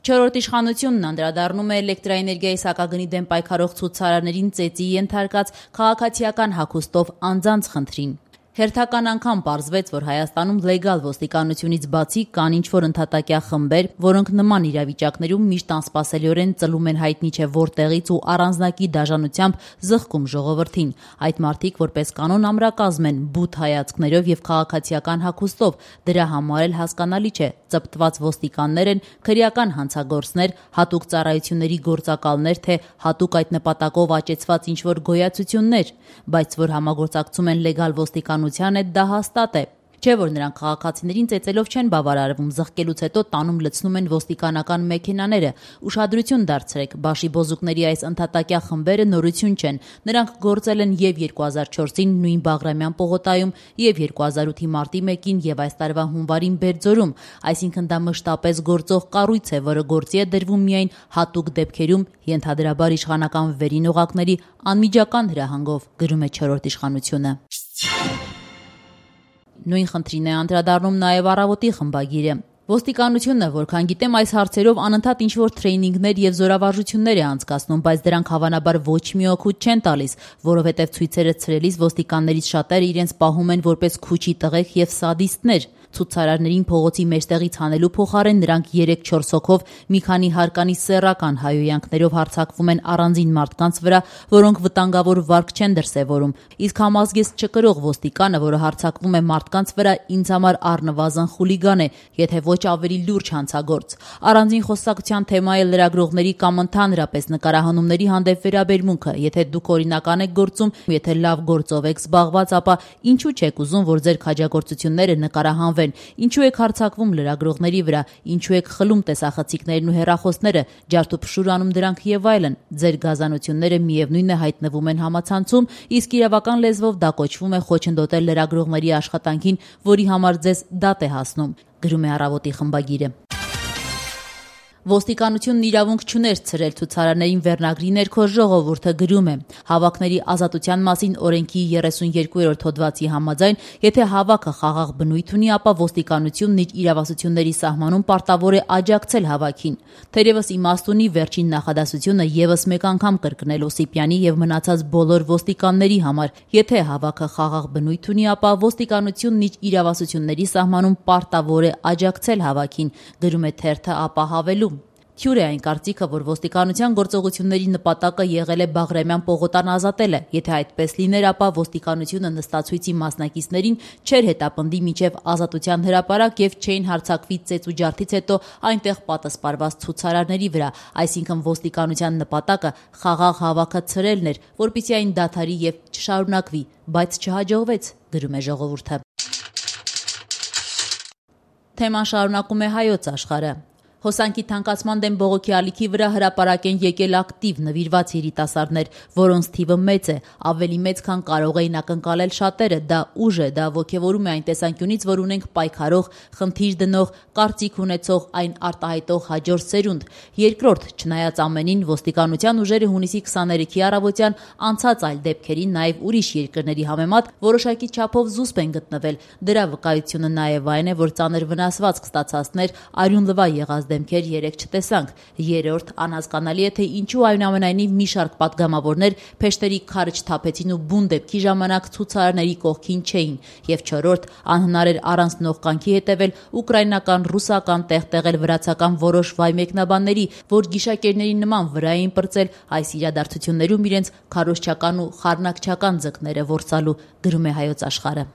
Չորրորդ իշխանությունն անդրադառնում է էլեկտրաէներգիայի սակագնի դեմ պայքարող ցուցարարներին ծեծի ենթարկած քաղաքացիական հագուստով անձանց խնդրին։ Հերթական անգամ պարզվեց, որ Հայաստանում լեգալ ոստիկանությունից բացի կան ինչ-որ ընդհատակյա խմբեր, որոնք նման իրավիճակներում միշտ անսպասելիորեն ծլում են հայտնի չէ որտեղից ու առանձնակի դաժանությամբ զղջում ժողովրդին։ Այդ մարդիկ որպես կանոն ամրակազմ են, բութ հայացքներով եւ քաղաքացիական հագուստով, դրա համար էլ հասկանալի չէ, ծպտված ոստիկաններ են, քրեական հանցագործներ, հատուկ ծառայությունների գործակալներ, թե հատուկ այդ նպատակով աճեցված ինչ-որ գոյացություններ, բայց որ համագործակցում են լեգալ ոստիկանության հետ, դա հաստատ է։ Չէ՞ որ նրանք քաղաքացիներին ծեծելով չեն բավարարվում, զղջելուց հետո տանում լցնում են ոստիկանական մեքենաները։ Ուշադրություն դարձրեք, բաշիբոզուկների այս ընդհատակյա խմբերը նորություն չեն։ Նրանք գործել են եւ 2004-ին նույն Բաղրամյան պողոտայում, եւ 2008-ի մարտի 1-ին եւ այս տարվա հունվարին Բերձորում, այսինքն դա մշտապես գործող կառույց է, որը գործի է դրվում միայն հատուկ դեպքերում, ենթադրաբար իշխանական վերին օղակների անմիջական հրահանգով, գրում է Չորրորդ իշխանությունը։ Նույն խնդրին է անդրադառնում նաև Առավոտի խմբագիրը։ Ոստիկանությունը, որքան գիտեմ, այս հարցերով անընդհատ ինչ-որ թրեյնինգներ եւ զորավարժություններ է անցկացնում, բայց դրանք հավանաբար ոչ մի օգուտ չեն տալիս, որովհետեւ ցույցերը ցրելիս ոստիկաններից շատերը իրենց պահում են որպես քուչի տղեկ եւ սադիստներ։ Ցուցարարներին փողոցի մեջտեղից հանելու փոխարեն նրանք 3-4 հոգով մի քանի հարկանի սեռական հայոյանքներով հարձակվում են առանձին մարդկանց վրա, որոնք վտանգավոր վարք չեն դրսևորում։ Իսկ համազգեստ չկրող ոստիկանը, որը հարձակվում է մարդկանց վրա, ինձ համար առնվազն խուլիգան է, եթե ոչ ավելի լուրջ հանցագործ։ Առանձին խոսակցության թեմա է լրագրողների կամ ընդհանրապես նկարահանումների հանդեպ վերաբերմունքը։ Եթե դուք օրինական եք գործում, եթե լավ գործով եք զբաղված, ապա ինչու չեք ուզում, որ ձեր քաջագործությունները նկարահանվեն։ Ինչու եք հարձակվում լրագրողների վրա, ինչու եք խլում տեսախցիկներն ու հեռախոսները, ջարդուփշուր անում դրանք եւ այլն։ Ձեր գազանությունները միևնույն է հայտնվում են համացանցում, իսկ իրավական լեզվով դա կոչվում է խոչընդոտել լրագրողների աշխատանքին, որի համար ձեզ դատ է հասնում, գրում է Առավոտի խմբագիրը։ Ոստիկանությունն իրավունք չուներ ցրել ցուցարարներին վերնագրի ներքո ժողովուրդը գրում է. Հավաքների ազատության մասին օրենքի 32-րդ հոդվածի համաձայն, եթե հավաքը խաղաղ բնույթ ունի, ապա ոստիկանությունն իր իրավասությունների սահմանում պարտավոր է աջակցել հավաքին։ Թերևս իմաստ ունի վերջին նախադասությունը եւս մեկ անգամ կրկնել Օսիպյանի եւ մնացած բոլոր ոստիկանների համար։ Եթե հավաքը խաղաղ բնույթ ունի, ապա ոստիկանությունն իր իրավասությունների սահմանում պարտավոր է աջակցել հավաքին, գրում է թերթը ապահավելու։ Թյուր է այն կարծիքը, որ ոստիկանության գործողությունների նպատակը եղել է Բաղրամյան պողոտան ազատելը։ Եթե այդպես լիներ, ապա ոստիկանությունը նստացույցի մասնակիցներին չէր հետապնդի մինչև ազատության հրապարակ եւ չէին հարձակվի ծեծ ու ջարդից հետո այնտեղ պատասպարված ցուցարարների վրա։ Այսինքն ոստիկանության նպատակը խաղաղ հավաքը ցրելն էր, որպեսզի այն դադարի եւ չշարունակվի, բայց չհաջողվեց, գրում է ժողովուրդը։ Թեման շարունակում է Հայոց Աշխարհը։ Հոսանքի թանկացման դեմ բողոքի ալիքի վրա հրապարակ են եկել ակտիվ նվիրված երիտասարդներ, որոնց թիվը մեծ է, ավելի մեծ, քան կարող էին ակնկալել շատերը։ Դա ուժ է, դա ոգևորում է այն տեսանկյունից, որ ունենք պայքարող, խնդիր դնող, կարծիք ունեցող, այն արտահայտող հաջորդ սերունդ։ Երկրորդ, չնայած ամենին, ոստիկանության ուժերը հունիսի 23-ի առավոտյան անցած այլ դեպքերին, նաև ուրիշ երկրների համեմատ որոշակի չափով զուսպ են գտնվել։ Դրա վկայությունը նաև այն է, որ ծանր վնասվածք ստացածներ, արյուն լվա եղած դեմքեր երեք չտեսանք։ Երրորդ, անհասկանալի է, թե ինչու այնուամենայնիվ մի շարք պատգամավորներ փեշտերի քարը չթափեցին ու բուն դեպքի ժամանակ ցուցարարների կողքին չէին։ Եվ չորրորդ, անհնար էր առանց նողկանքի հետևել ուկրաինական, ռուսական, տեղտեղել վրացական որոշ վայ մեկնաբանների, որ գիշակերների նման վրա էին պրծել այս իրադարձություններում իրենց քարոզչական ու խառնակչական ձկները որսալու, գրում է Հայոց Աշխարհը։